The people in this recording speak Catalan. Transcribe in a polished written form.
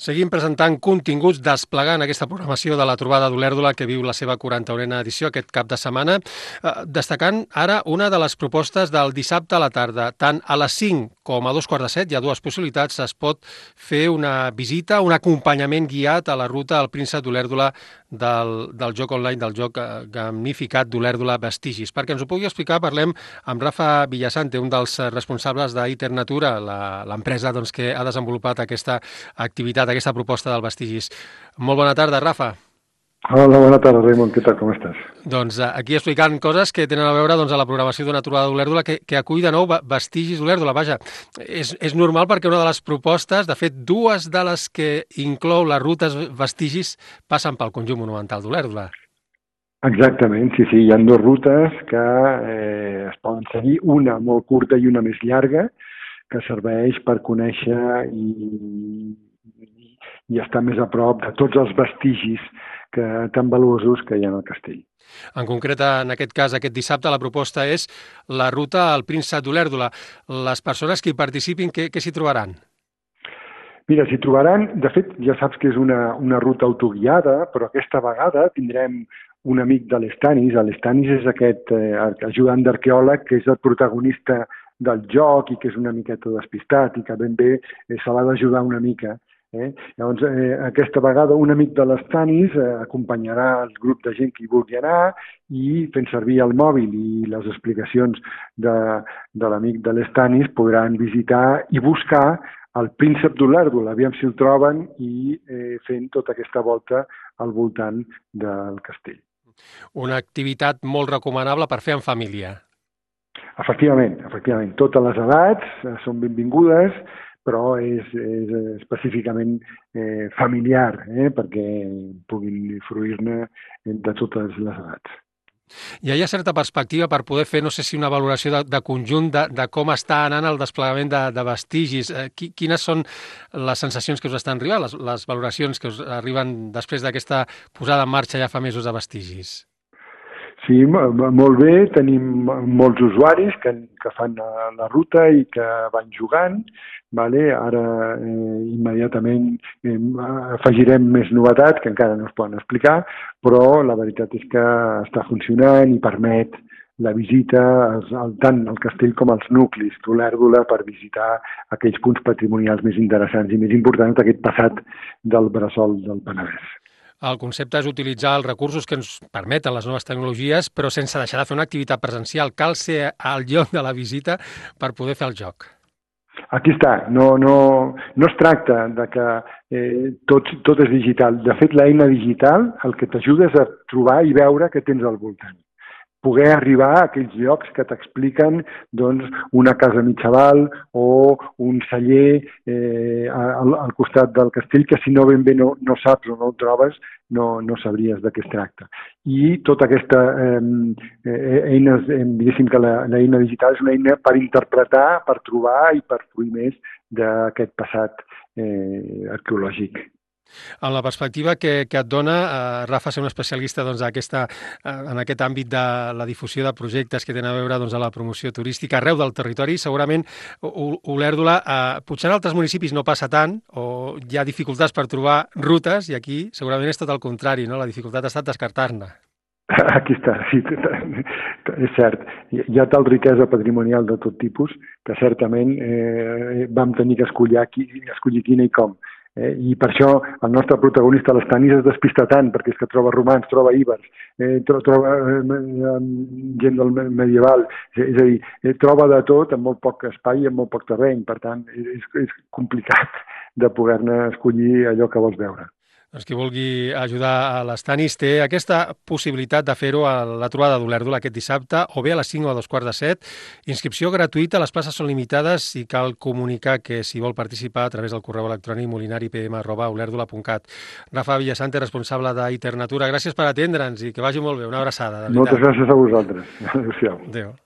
Seguim presentant continguts, desplegant aquesta programació de la trobada d'Olèrdola que viu la seva 41a edició aquest cap de setmana, destacant ara una de les propostes del dissabte a la tarda. Tant a les 5 com a 2:15 hi ha dues possibilitats. Es pot fer una visita, un acompanyament guiat a la ruta al Príncep d'Olèrdola del joc online, del joc gamificat d'Olèrdola Vestigis. Perquè ens ho pugui explicar, parlem amb Rafa Villasante, un dels responsables d'Iter Natura, l'empresa que ha desenvolupat aquesta activitat, aquesta proposta del Vestigis. Molt bona tarda, Rafa. Hola, bona tarda, Raimon. Què tal, com estàs? Doncs aquí explicant coses que tenen a veure a la programació d'una trobada d'Olèrdola que acull de nou Vestigis d'Olèrdola. Vaja, és normal perquè una de les propostes, de fet, dues de les que inclou les rutes Vestigis passen pel conjunt monumental d'Olèrdola. Exactament, sí, hi ha dues rutes que es poden seguir, una molt curta i una més llarga, que serveix per conèixer i estar més a prop de tots els vestigis tan valuosos que hi ha al castell. En concret, en aquest cas, aquest dissabte, la proposta és la ruta al Príncep d'Olèrdola. Les persones que hi participin, què s'hi trobaran? Mira, s'hi trobaran, de fet, ja saps que és una ruta autoguiada, però aquesta vegada tindrem un amic de l'Estanis. L'Estanis és aquest ajudant d'arqueòleg que és el protagonista del joc i que és una miqueta despistat i que ben bé se l'ha d'ajudar una mica. Llavors, aquesta vegada un amic de l'Estanis acompanyarà el grup de gent que hi vulgui anar i fent servir el mòbil i les explicacions de l'amic de l'Estanis podran visitar i buscar el Príncep d'Olèrdola, aviam si el troben i fent tota aquesta volta al voltant del castell. Una activitat molt recomanable per fer en família. Efectivament. Totes les edats són benvingudes, però és específicament familiar, perquè puguin fruir-ne de totes les edats. Hi ha certa perspectiva per poder fer, no sé si una valoració de conjunt de com està anant el desplegament de vestigis. Quines són les sensacions que us estan arribant, les valoracions que us arriben després d'aquesta posada en marxa ja fa mesos de vestigis? Sí, molt bé. Tenim molts usuaris que fan la ruta i que van jugant. Ara immediatament afegirem més novetats que encara no es poden explicar, però la veritat és que està funcionant i permet la visita tant al castell com als nuclis d'Olèrdola per visitar aquells punts patrimonials més interessants i més importants d'aquest passat del bressol del Penedès. El concepte és utilitzar els recursos que ens permeten les noves tecnologies, però sense deixar de fer una activitat presencial. Cal ser al lloc de la visita per poder fer el joc. Aquí està. No es tracta de que tot és digital. De fet, l'eina digital el que t'ajuda és a trobar i veure què tens al voltant. Poder arribar a aquells llocs que t'expliquen una casa mitjaval o un celler al costat del castell que si no ben bé no saps o no el trobes no sabries de què es tracta. I tota aquesta eina, diguéssim que l'eina digital és una eina per interpretar, per trobar i per fruir més d'aquest passat arqueològic. En la perspectiva que et dona, Rafa, ser un especialista en aquest àmbit de la difusió de projectes que tenen a veure a la promoció turística arreu del territori, segurament Olèrdola, potser en altres municipis no passa tant o hi ha dificultats per trobar rutes i aquí segurament és tot el contrari, no? La dificultat ha estat descartar-ne. Aquí està, sí, és cert. Hi ha tal riquesa patrimonial de tot tipus que certament vam tenir que escollir quina i com. I per això el nostre protagonista, l'Estanis, es despista tant, perquè és que troba romans, troba íbers, troba gent del medieval, és a dir, troba de tot en molt poc espai i en molt poc terreny, per tant, és complicat de poder-ne escollir allò que vols veure. Doncs qui vulgui ajudar a l'Estanis té aquesta possibilitat de fer-ho a la trobada d'Olèrdola aquest dissabte, o bé a les 5 o a 2:15. Inscripció gratuïta, les places són limitades i cal comunicar que si vol participar a través del correu electrònic molinaripm@olèrdola.cat. Rafa Villasante, responsable d'Iter Natura, gràcies per atendre'ns i que vagi molt bé. Una abraçada. Moltes gràcies a vosaltres. Adéu-siau. Adéu.